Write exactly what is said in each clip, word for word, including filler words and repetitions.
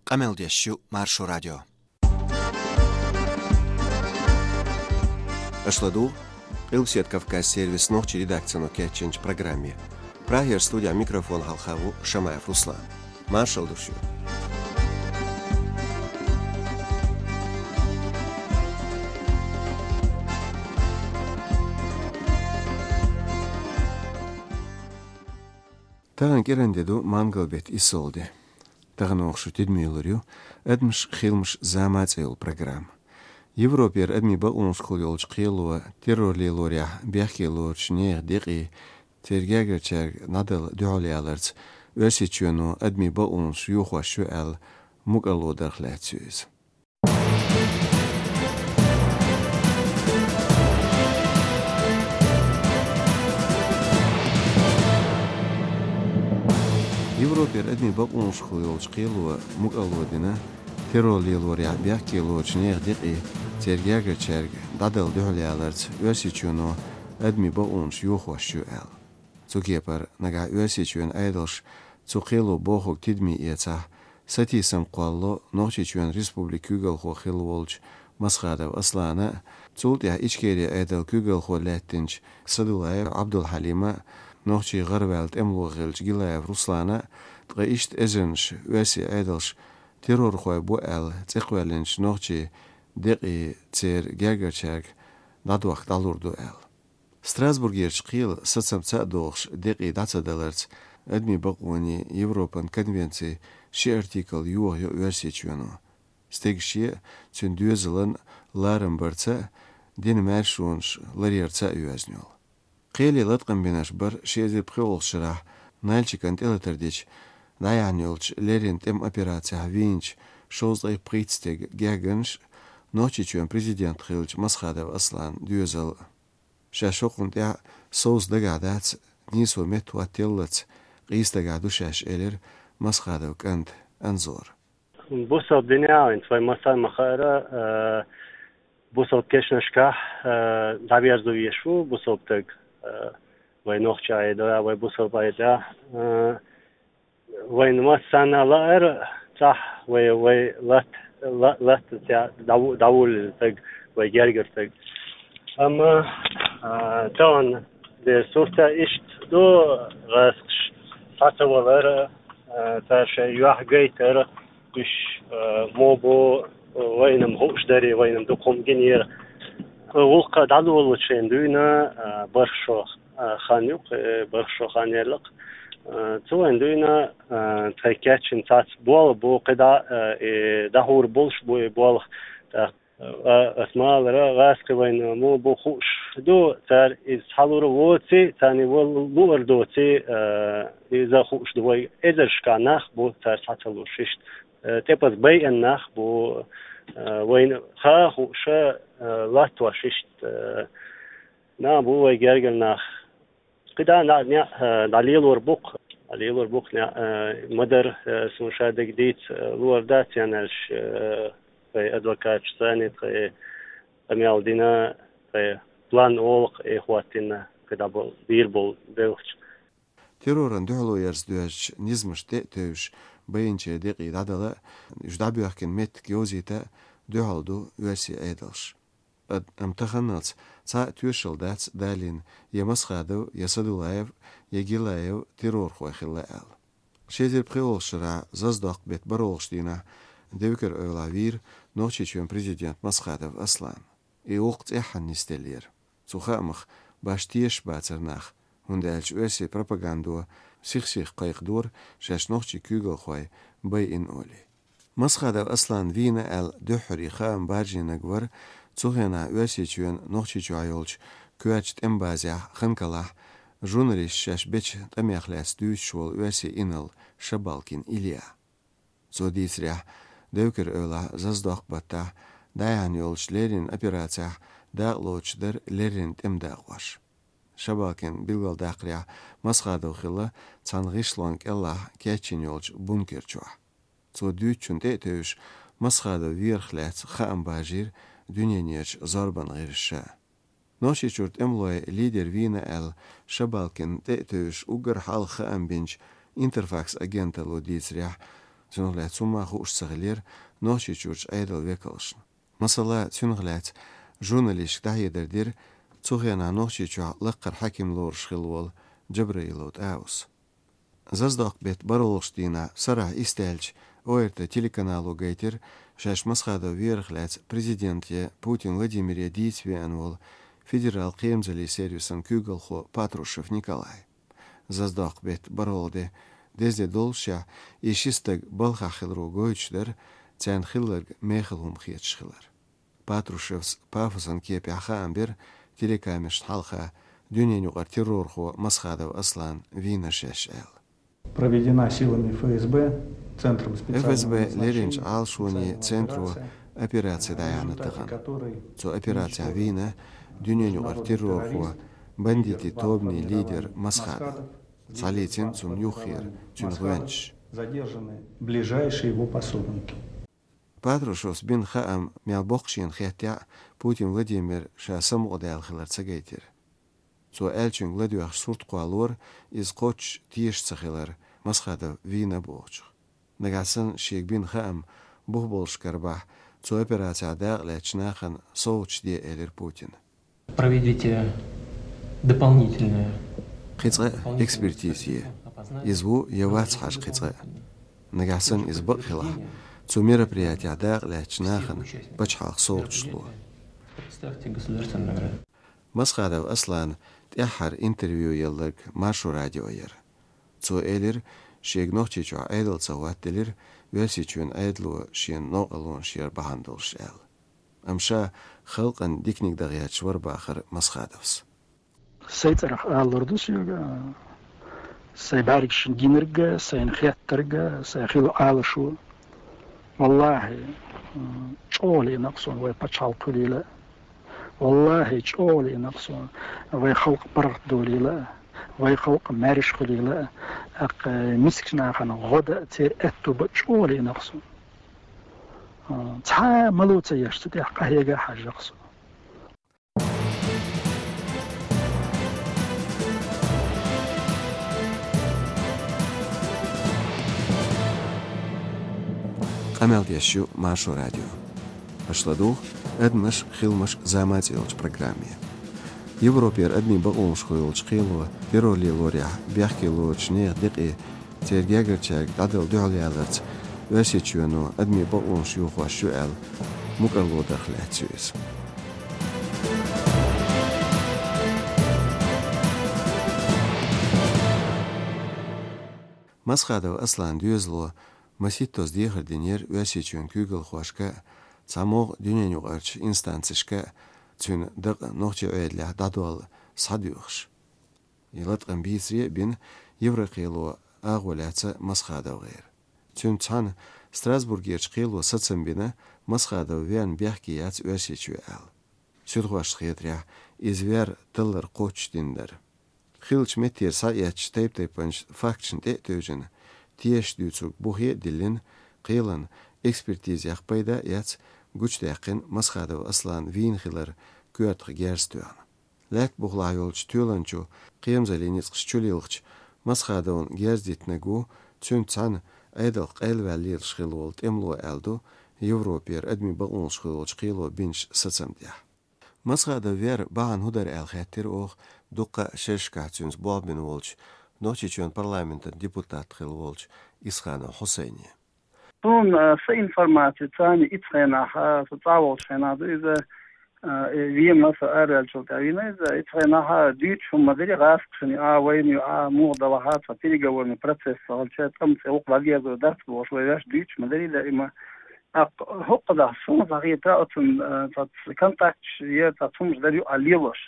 Къамел деш ю Маршо радио. Аша ладугӀу Къилбседа Кавказ сервисан нохчийн редакцино кечйинчу программе. Прагера студехь микрофон хьалха ву Шамаев Руслан. Маршалла ду шуьга. Тахана кӀиранде ду мангал беттан иссалгӀа де. Тахана оха шу тидаме лур ю «Адамаш, хиламаш, зама» цӀе йолу программа. Европера адамийн бакъонашкахула йолчу кхело террор лелорехь бехке лоручу нехан декъий, церан гергарчаьрга дӀадала дуьхьал яларца Оьрсийчоьно адамийн бакъонаш йохош ю аьлла мукӀарло дарх лаьцна ю иза. Европера адамийн бакъонашкахула йолчу кхело мукӀарло дина, террор лелорехь бехке лоручу нехан декъий, церан гергарчаьрга дӀадала дуьхьал яларца Оьрсийчоьно адамийн бакъонаш йохош ю аьлла. Цу кепара нагахь Оьрсийчоьнан Ӏедалша цу кхело бохург тидаме эцахь, сатийсам кхоллало Нохчийчоьнан республикан куьйгалхо хилла волчу Масхадов Аслана а, цул тӀаьхьа Ичкерин Ӏедалан куьйгалхо лаьттинчу Садулаев Ӏабдулхьалима а, нохчийн гӀараваьлла тӀемало хиллачу Гилаев Руслана а, ткъа иштта эзарнаш оьрсийн Ӏедалша террорхой бу аьлла цӀе кхоьллинчу нохчийн декъий, церан гергарчаьрга дӀадохка дӀалур ду аьлла. Страсбургерчу кхелан сацамца а догӀуш декъий дӀа ца даларца, адамийн бакъонийн Европан конвенцин ши артикл йохайо Оьрсийчоьно. Стеган шен а, цуьнан доьзалан а ларам барца а, дина маьршонаш ларъярца а йоьзна йолу. Кхеле латкъам бинарш бара ши эзар пхоьалгӀачу шарахь Нальчикана тӀелатар дича дӀаяьхьна йолчу леррина тӀеман операцехь вийначу шовзткъе пхийтта стеган гергарнаш а, Нохчийчоьнан президент хиллачу Масхадов Асланан доьзал а. Шаьш хӀокхунна тӀехь совца дагахь дац, нийсо метта хӀоттаеллалц къийса дагахь ду шаьш, элира Масхадовн кӀанта Анзора. Бусалба динехь а, вайн сан ма-хаъара, а, бусалба кешнашкахь, а, дӀаверзо везаш ву бусалба стаг, а, вай нохчи Ӏедалехь, вай бусалба Ӏедалехь, а, вайна массарна а лаьара цхьа вай, вай лат-, ла-, латтанца дӀа-, дӀавуллина стаг, вай гергара стаг. Амма, а, тахана дерг сурт иштта ду, гӀазкхаш схьа ца валар, а, цара шайн юьхь гайтар, уьш, а, муха бу, вайна-м хууш дара, вайна-м дукха хӀума гинера. ГӀуллакх дӀадолалучу шайна дуьйна, а, бархӀ шо, а, хан ю, кхе, бархӀ шо хан яьлла-кх. А, цу вайна дуьйна, а, тхайн кечйина цхьацца болх бу, кхидӀа, а, и дӀахьур болуш бу и болх. ТӀаккха, а, ас ма-аллара, гӀазкхи вайна муха бу хууш ду, цара иза схьалур воций, царна вал луур доций, а, иза хууш ду вай. Эзаршкахь нах бу, цара схьа ца луш иштта. Э, тӀепаза байъина нах бу, э, вайна хаа а хууш, э, латтош иштта, э, нах бу вай гергара нах. КхидӀа а неӀ, э, дӀалелор бу-кх, дӀалелор бу-кх неӀ, э, ма-дарра, э, суна ша дерг дийца, э, луур дац аьлла, э, тхайн адвокаташа санна, тхайн къамел дина, тхайн план олу-кх, э, хӀоттийна, кхидӀа бо-, бийр болу белхаш. Террорна дуьхьало ярца доьжначу низамашна тӀе а тевжаш, байинчеран декъий дӀадала а, уьш дӀабоьхкина меттиг йовзийта а дуьхьал ду оьрсийн Ӏедалш. Ад-, амма таханалц цхьа а тоьшалла дац далийна я Масхадов, я Садулаев, я Гилаев террорхой хилла аьлла. Ши эзар пхоьалгӀачу шарахь Зазадоккху беттан бархӀолгӀачу дийнахь Девкар-Эвлахь вийра Нохчийчоьнан президент Масхадов Аслан. И гӀуллакх цӀеххьана нисделлера. Цу хаамах башха тешаш бацара нах, хӀунда аьлча оьрсийн пропагандо сих-сиха кхайкхадора шаьш нохчийн куьйгалхой байина олий. Масхадов Аслан вийна аьлла дуьххьара хаам баржийнарг вара цу хенахь Оьрсийчоьнан Нохчийчохь йолчу коьртачу тӀеман базехь Ханкалахь журналисташа шаьш бечу тӀамех лаьцна дуьйцуш волу оьрсийн инарла Шабалкин Илья. Цо дийцарехь, Девкар-Эвлахь Зазадоккху баттахь дӀаяьхьна йолчу леррина операцехь дакъалоцуш дара леррина тӀеман дакъош. Шабалкина билгалдаккхарехь, Масхадов хилла цхьана гӀишлон кӀелахь кечйина йолчу бункер чохь. Цо дуьйцучунна тӀе а тевжаш, Масхадов верах лаьцна хаам баржийра дуьненан зорбанан гӀирсаша. Нохчийчуьра тӀемалойн лидер вийна аьлла Шабалкинна тӀе а тевжаш уггар хьалха хаам бинчу Интерфакс агенталло дийцарехь, Цунах лаьцча цу ма хууш ца хилира Нохчийчуьрчу Ӏедалан векалшна. Масала, цунах лаьцна журналисташка дӀахьедар дира цу хенахь Нохчийчохь лакхара хьаькам лоруш хилла волу Джабраилов ТӀаус. Заздоккху беттан бархӀалгӀачу дийнахь, сарахь исс даьлча, О Р Т телеканало гайтира шаьш Масхадов верах лаьцна президент я Путин Владимире дийца веана волу федерал кхерамзаллин сервисан куьйгалхо Патрушев Николай. Заздоккху беттан бархӀалгӀа де деза де доллушехь, и ши стаг балхахь хиларо гойтуш дара царна хилларг мехала хӀума хеташ хилар. Патрушевс пафосан кепехь хаам бира телекамерашна хьалха дуьненаюкъара террорхо Масхадов Аслан вийна шаьш аьлла. Проведена силами Ф С Б, Центром специального Ф С Б назначения леринчу Ӏалашонийн специальной центро операции, операци дӀаяьхьна тахана. Цу операцехь вийна дуьненаюкъара террорхо, бандитийн тобанийн лидер Масхадов. Схьалийцина цунна юххера цуьнан гӀоьнчаш. Задержаны ближайшие его пособники. Патрушевс бина хаам мел боккха шена хеттехь а, Путин Владимир ша самукъадаьлла хилар ца гайтира. Цо аьллачуьнга ладоьгӀуш сурт кхоллалора, иза кхоччуш теша ца хилар, Масхадов вийна бохучух. Нагахь санна шега бина хаам бух болуш карабахь, цу операцехь дакъа лаьцначу нахана совгӀаташ де, элира Путина. Проведите дополнительную Кхин цкъа а экспертиза е. Иза ву я вац хьажа кхин цкъа а. Нагахь санна иза бакъ хилахь, цу мероприятехь дакъа лаьцначу нахана пачхьалкхан совгӀаташ ло. Представьте государственную награду. Масхадов Аслана тӀаьххьара интервью елларг Маршо радио яра. Цо элира, шега Нохчийчохь Ӏедал ца хӀоттаделира, Оьрсийчоьнан Ӏедало шена новкъарлонаш яр бахьана долуш аьлла. Амма ша халкъана диканиг дан гӀерташ вара бахара Масхадовс. Сайн цӀарах алалур ду соьга, сайн бӀаьргашна гинарг а, сайна хеттарг а, сайн хилла Ӏалашо. Валлахьи, чӀогӀа лиъна-кх суна вай пачхьалкх хуьлийла а. Валлахьи, чӀогӀа лиъна-кх суна вай халкъ паргӀат долийла а, вай халкъ маьрша хуьлийла а. ТӀаккха мискачу нахана гӀо дан а, церан аьтто бан а чӀогӀа лиъна-кх суна. Цхьа а мало ца еш, цу тӀехь къахьега а хьажжакх со. Къамел деш ю Маршо радио. Аша ладугӀу «Адамаш, хиламаш, зама» цӀе йолчу программе. Европера адамийн бакъонаш хуьлучу кхело террор лелорехь бехке лоручу нехан декъе церан гергарчаьрга дӀадала дуьхьал яларца Оьрсийчоьно адамийн бакъонаш йохош ю аьлла, мукӀарло дарх лаьцна ю иза. Масхадов Аслан доьзало масийттаза дехар динера Оьрсийчоьнан куьйгалхошка а, цхьа могӀа дуьненаюкъарчу инстанцешка а, цуьнан дакъа нохчийн Ӏедалехь дӀадолла схьадоьхуш. И латкъам бийцаре а бина, Еврокхело агӀо лаьцна Масхадовгара. Цуьнца цхьаьна Страсбургерчу кхело сацам бина, Масхадов верна бехке яц Оьрсийчоь аьлла. Суьдхошна хетарехь, иза вер таллар кхоччуш дина дара. Хиллачу меттера схьаэцначу тайп-тайпанчу факташна тӀе а тевжина, тешаш дуьйцург бухе а диллина, кхелан экспертизех пайда а эцна, гучудаьккхина Масхадов Аслан вийна хилар коьртах герз тоьхна. Лаьтта бухахь йолчу тоьланчо кхерамзаллин ницкъаш чулилхича, Масхадовна герз диттинарг ву, цуьнца цхьаьна Ӏедалх къайлаваьлла лелаш хилла волу тӀемало аьлла ду Европера адамийн бакъонаш хуьлучу кхело бинчу сацам тӀехь. Масхадов вер бахьана хӀун дара аьлла хаьттира оха дуккха а шерашкахь цуьнца болх бина волчу, Нохчийчоьнан парламентан депутат хилла волчу Исханов Хьусайне. Суна, а, сан информаци, царна ицу хенахь, а, со цӀа волчу хенахь ду иза, а, э, вен маса араваьллачул тӀаьхьа вийна иза, ицу хенахь, а, дуьйцуш хӀума ма дарий, гӀазкхашна, а, вайна ю, а, муха далахь, а, цхьа переговорный процесс хилча, тӀом цӀе вукху дӀадерзор дац бохуш, вай ваьш дуьйцуш ма дарий даима. ТӀаккха хӀокху даха суна хетарехь, оцун, а, цхьа контакташ я цхьа цхьа хӀумаш дара юкъа лелош.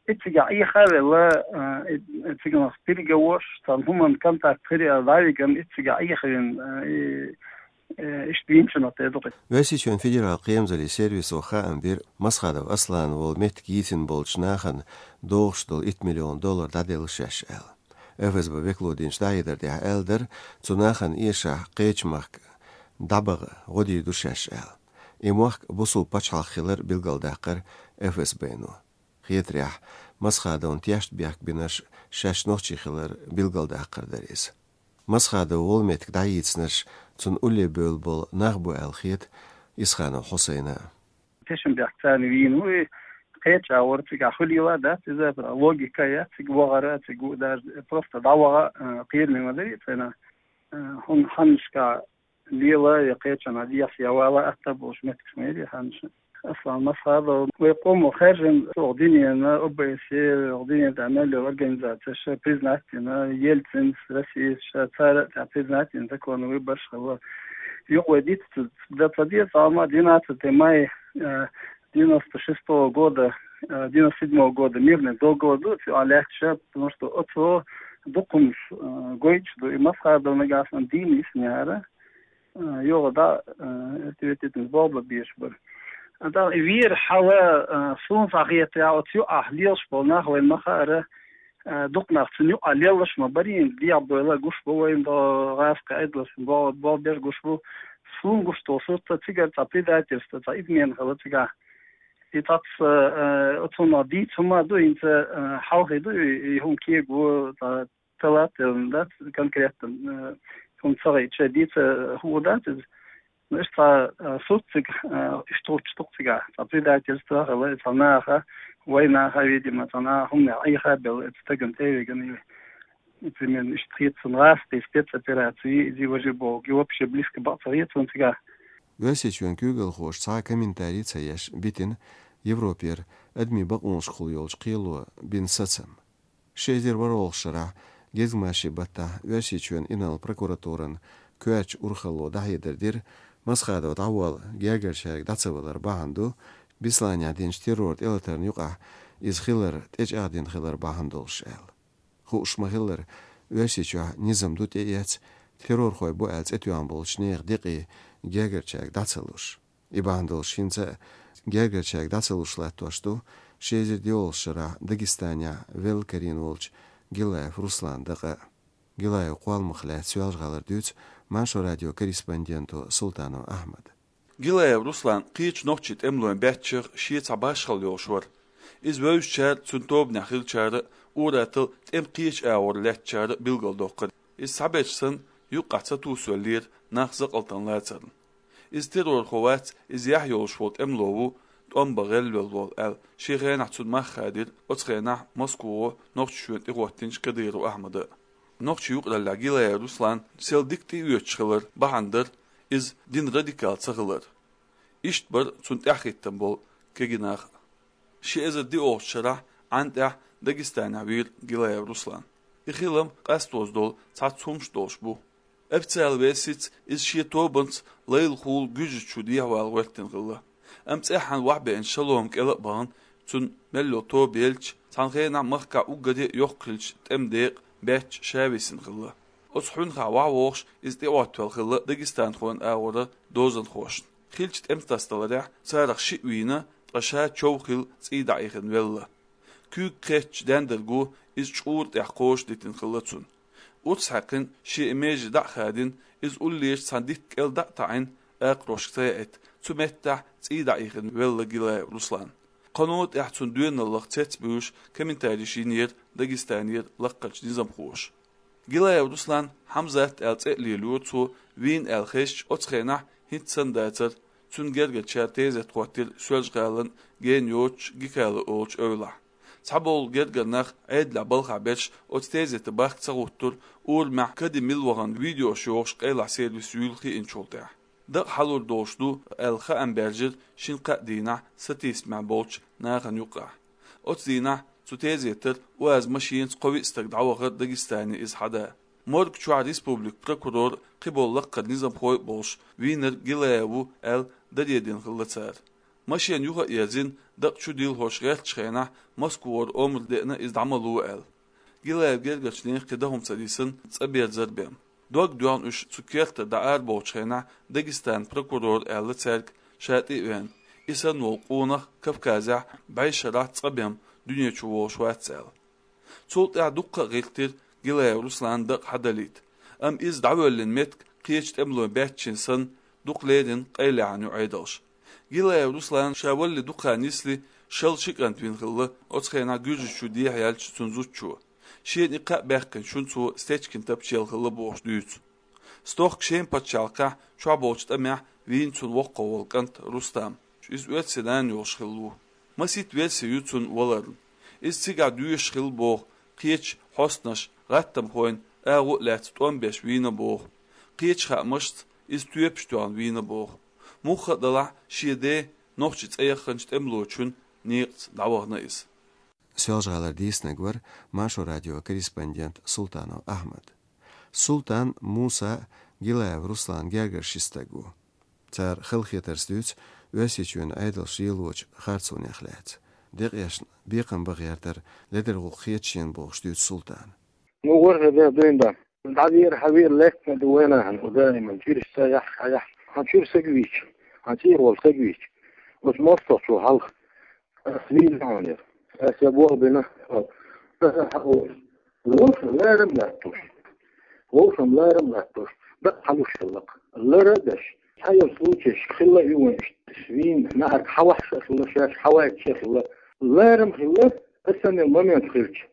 Иццигахь Ӏеха а велла, а, и, циганах переговорш, цхьана хӀуманна контакт хир а дӀавигна, иццигахь Ӏеха а вина, а, и, э, иштта винчунах тӀе ду-кх. Оьрсийчоьнан федерал кхерамзаллин сервисо хаам бира, Масхадов Аслан волу меттиг йийцина болчу нахана догӀуш долу итт миллион доллар дӀаделла шаьш аьлла. Ф С Б векало динчу дӀахьедар тӀехь аьлла дара, цу нахана эшахь кхечу махка дӀабаха гӀо дийр ду шаьш аьлла. И мохк бусулба пачхьалкх хилар билгалдаккхара Ф С Б-но. Хетарехь, Масхадовна тешна бехк бинарш шаьш нохчий хилар билгалдаккхар дара иза. Масхадов волу меттиг дӀайийцинарш Цунна улле бевлла болу нах бу аьлла хета Исханов Хьусайна. Тешнабехк царна вийна ву, и кхеча агӀор цига хуьлийла дац иза, логика яц цига вахара, цига даже просто дӀаваха, а, кхераме ма дарий царна. А, хӀун хьаннашка лела я кхечанхьа дехьа я вала атта болуш меттигаш ма яри хьаннаша. Аслан Масхадов, вай къомо хаьржина, оха динена, О Б С Е, оха динена тӀехь мел йолу организацеш признать дина, Ельцинс, Россияс, ша цара а тӀехь признать дина, законан выбораш хилла. Юкъа вай диц ца, ца деза, амма двенадцатого мая, э, девяносто шестого года, э, девяносто седьмого года мирный договор ду, цу а лаьтташ, потому что оцо дукхамаш, э, гойтуш ду, и Масхадов нагахь санна дийна йиснера. А, йогӀу да, а, это ведь это бобла беш бар. А да, и вера хьала, а, суна схьахетарехь, оцу юкъахь лелаш болу нах вайн ма хаара, а, дукха нах цунна юкъахь леллаш ма барий, дегӀ бойла гуш бу вайн до гӀазкхи айдалаш, бо-, бо беш гуш бу. Суна гуш долу сурт цигара цхьа предательство, цхьа измена хила цигахь. И цац, а, а, оцунах дийца хӀума ду, хӀинца, а, хьалхе ду, и, и хӀума кего, цхьа талателла дац, конкретно, э, хӀума ца гӀайча дийца хӀума дац иза. Ну, иштта, э, суд цига, э, иштта гӀуттуш ду-кх цигахь, цхьа предательство хила, цхьа наха, вай наха, видимо, цхьа наха хӀуманех Ӏеха а белла, оцу стагана тӀе а вигина, и, примерно, иштта хета суна гӀазкхий спецопераци, иза важа боху, и вообще близко бакъ ца хета суна цигахь. Оьрсийчоьнан куьйгалхоша цхьа а комментарий ца еш битина Европера адамийн бакъонашкахула йолчу кхело бина сацам. Ши эзар ворхӀалгӀачу шарахь гезгмашин баттахь Оьрсийчоьнан инарла прокуратуран коьртачу урхалло дӀахьедар дира, Масхадов дӀаволла гергарчаьрга дӀа ца валар бахьана ду Бесланехь динчу террор тӀелатарна юкъахь иза хилар тӀечӀагӀдина хилар бахьана долуш аьлла. Хууш ма-хиллара, Оьрсийчохь низам ду тӀеэцна, террорхой бу аьлла цӀе тоьхна болчу нехан декъий гергарчаьрга дӀа ца луш. И бахьана долуш хӀинца а гергарчаьрга дӀа ца луш латтош ду ши эзар диъолгӀачу шарахь Дагестанехь велла карийна волчу Гилаев Русланан дакъа. Гилаевн кхолламах лаьцна Соьлжа-ГӀалара дуьйцу Маршо радион корреспонденто Султанов Ахьмада. Гилаев Руслан кхечу нохчийн тӀемалойн баьччех шен цхьа башхалла йолуш вара. Иза вевзачара, цуьнан тобанехь хиллачара а, ур-атталла тӀеман кхечу агӀор лаьттачара а билгалдоккхура. Иза цхьаберш санна, юккъехь ца тусавеллера, нах закъалтана лацарна. Иза террорхо вац, иза яхь йолуш волу тӀемало ву, тӀом бан гӀелвелла волу аьлла, шен хенахь цунна мах хадийра, оцу хенахь Москвахо Нохчийчоьнна тӀехӀоттийначу Кадыров Ахьмада. Нохчийн юкъараллехь Гилаев Руслан сел дика тӀеоьцуш хилар бахьана дара иза дина радикал ца хилар. Иштта бара цунна тӀаьхьахӀиттина болу кегий нах а. Ши эзар диъолгӀачу шарахь Ӏан тӀехь Дагестанехь вийра Гилаев Руслан. И хилам къастоза долу цхьацца хӀумнаш долуш бу. Официалан версица иза шен тобанца лайлахула Гуьржийчу дехьавала гӀоьртина хилла. Амма цӀеххьана вахьбеана шалом кӀела а бахана, цуьнан мел йолу тоба елча, цхьана хенахь махкахь уггаре а йоккха хиллачу тӀеман декъан баьчча ша висина хилла. Оцу хьуьнхахь вахьавогӀуш иза тӀеӀоттавелла хилла дагестанхойн агӀора дозанхошна. Хиллачу тӀематасадаларехь царах шиъ вийна, ткъа ша чов хилла цӀий дӀаихина велла. Куьйга кхеттачу дендарго иза чкъура тӀехь кхоша дитина хилла цунна. Урс хьаькхна шен и меже дӀа а хадийна, иза уллерчу цхьана дитта кӀел дӀа а таӀийна, акхарошка ца яийта, цу меттехь цӀий дӀаихина велла Гилаев Руслан. Кхано тӀехь цунна доьналлах цецбуьйлуш комментарийш йинера Дагестанера лаккхарчу низамхоша. Гилаев Руслан Хьамзат аьлла цӀе а лелайора цо, вийна аьлла хезча, оцу хенахь хӀинца санна дацара, цуьнан гергарчара тезет хӀоттийра Соьлжа-ГӀалин ген йоцучу Гикала олучу эвлахь. Цхьаболу гергара нах Ӏедалехь балхахь берш оцу тезетан бахка ца гӀуттура, урамехь кади мила вахана видеош йохуш къайлахь сервис юйла хиъначул тӀаьхьа. Дакъа хьалур долуш ду аьлла хаам баьржира шина-кхаа дийнахь сатийсамехь болчу нахана юккъехь. Оцу дийнахь цу тезетара УАЗ машенаца кхо-виъ стаг дӀавахара Дагестане иза хьада. Морг чохь республикан прокурор, кхиболу лаккхара низамхой а болуш, вийнарг Гилаев ву аьлла, даре дина хилла цара. Машена юха а ерзина, дакъа чу дилхош гӀертачу хенахь, Москвара омра деана иза дӀа ма ло аьлла. Гилаев гергарчу нехан кхин дан хӀума ца дисина, цӀа берзар бен. Дог доьхна уьш цу кертара дӀа арабовлучу хенахь, Дагестанан прокурора аьлла цаьрга, ша тӀе а веана, и санна волу къонах Кавказехь бӀешарахь цкъа бен дуьне чу волуш вац аьлла. Цул тӀаьхьа дуккха а гӀиртира Гилаев Русланан дакъа хьадалийта, амма иза дӀавоьллина меттиг кхечу тӀемалойн баьччина санна, дукха леррина къайлаьхьна ю Ӏедалша. Гилаев Руслан ша валале дукха хан нисле, шал ши кӀант вина хилла, оцу хенахь Гуьржийчу дехьаяьлча цуьнан зудчо. Шена и кхаъ баьккхинчу шуна цо Стечкин Тапча елла хилла бохуш дуьйцу. Стохка шен паччахьалкхехь чохь болчу тӀамехь вийна цунна воккхах волу кӀант Рустам. Иза оьрсийн нана йолуш хилла ву. Масийтта верси ю цунна валарна. Иза цигахь доьшуш хилла боху, кхечу хьостанаша, гӀаттамхойн агӀо а лаьцна тӀом беш вийна боху. Кхечу хаамашца иза тоьпаш тоьхна вийна боху. Мухха а далахь, шен ден нохчийн цӀе яхханчу тӀемалочун некъаца дӀавахана иза. Соьлжа-ГӀалара дийцинарг вара Маршо радион корреспондент Султанов Ахьмад. Султан, Муса, Гилаев Руслан гергарчу ши стаг ву. Цара халахетарца дуьйцу Оьрсийчоьнан Ӏедалша лелочу харцонех лаьцна. Декъашна бекхам бан гӀертар ледара гӀуллакх хета шена бохуш дуьйцу Султана. Ну, ворхӀе де дуьйна дан. ДӀавера, хьавера лаьттина ду вайна хьан, даиман чуьраш ца яхь, хьаяхь. Хьан чуьра саг вийча, хьан цӀера волу саг вийча. Оцу мостагӀчо хьалха. Ас вийна хьуна яра. Ас я болх бина. Вовшам ларам латтош. Вовшам ларам латтош. Дакъа хьалуш хиллакх. Лара а даш. Цхьайолу случайш хилла а ю вайн иштта. Вийна нахьарг хьавахьаш а хилла, шаьш хьавайташ а хилла. Ларам хилла, аса мел момент хилча.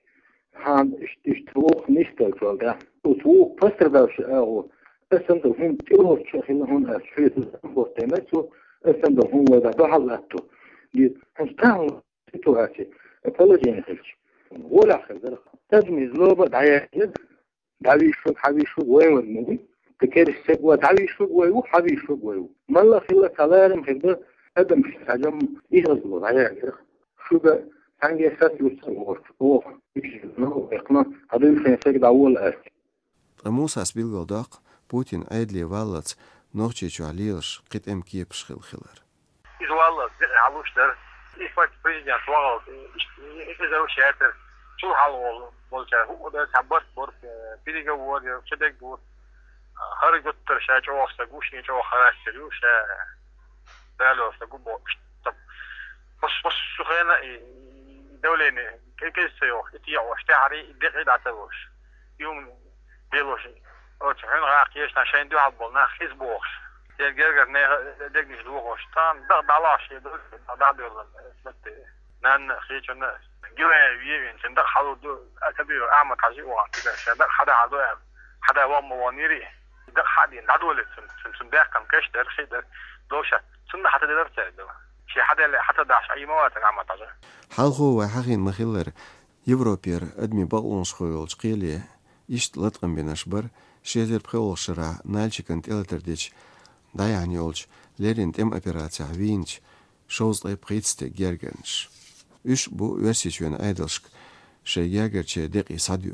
Хьан иштта, иштта вукху нисдалчул тӀаьхьа. Оцу вукху пострадавший агӀо, аса дан хӀума тӀелоцуш а хилла хьуна ас хьоьца хӀоттийна цо, аса дан хӀума вай дӀа дуьхьал латто. Ди, хьуна стагӀа ситуаци, положение хилча. Волахь хир дара. Тадмиз лоба дӀаяьхира, дӀавийшург, хьавийшург вайн вара муьлхий. Кхин керста саг ван дӀавийшург вай ву, хьавийшург вай ву. Малла хилла ца ларам хир ду, адамаш хьажам изазло дӀаяьхира. Шуьга цхьаьнгге сацлуьйцу а воцу, оха, уьш, ну, векхна, хьан дуьйна шайн саг дӀавола аьлла. Ткъа Мусас билгалдоккху Путин Ӏедале валлалц Нохчийчохь лелаш кхин тӀеман кепаш хилла хилар. Иза валлалц декъе хьалуш дара. Иза вац президент вахалц, иза уьш яцара. Цул хьалха волчара хӀуъа дара, цхьа барт бара, переговор яра, ца дерг бу. ХӀара гуттар ша чӀогӀа стаг ву, шен чӀогӀа характер ю, ша Дала йолуш стаг ву бохуш. Пус-, пус-, су хена и, и давление кӀеза ца йохуш, и тӀе йохуш, тӀаьхьара и декъе дӀа ца луш. Юм белуш. Оцу хьуьнан гӀа кхечу шайн дуьхьал болу нах хӀинца бохуш. Шен гергара нехан дегнаш дохуш. Тхан дакъа дӀалош, шен ду, дӀа дӀадоьлла. Нанна, кхечунна, Гилаев вевин, шен дакъа хьалур ду, а, ца бийр, Ахьмад-Хьажи вахана, шен дакъа хьада хьалу аьлла. Хьада ван ма ван йири. Дакъа хьадийна, дӀадолийта цунна, цунна, цунна баьккхина каш дара, хи дара, доша, цунна хьата делара цаьрга дала. Шен хьаделла хьата дахьаш, Ӏийма вацара Ахьмад-Хьажа. Хьалхо вай хьахийна ма-хиллара, Европера адамийн бакъонашхой йолчу кхеле иштта латкъам бинарш бара ши эзар пхоьалгӀачу шарахь Нальчикана тӀелатар дечу дӀаяьхьна йолчу леррина тӀеман операцехь вийначу шовзткъе пхийтта стеган гергарнаш. Уьш а бу Оьрсийчоьнан Ӏедалшка шайн гергарчеран декъий схьадоьду.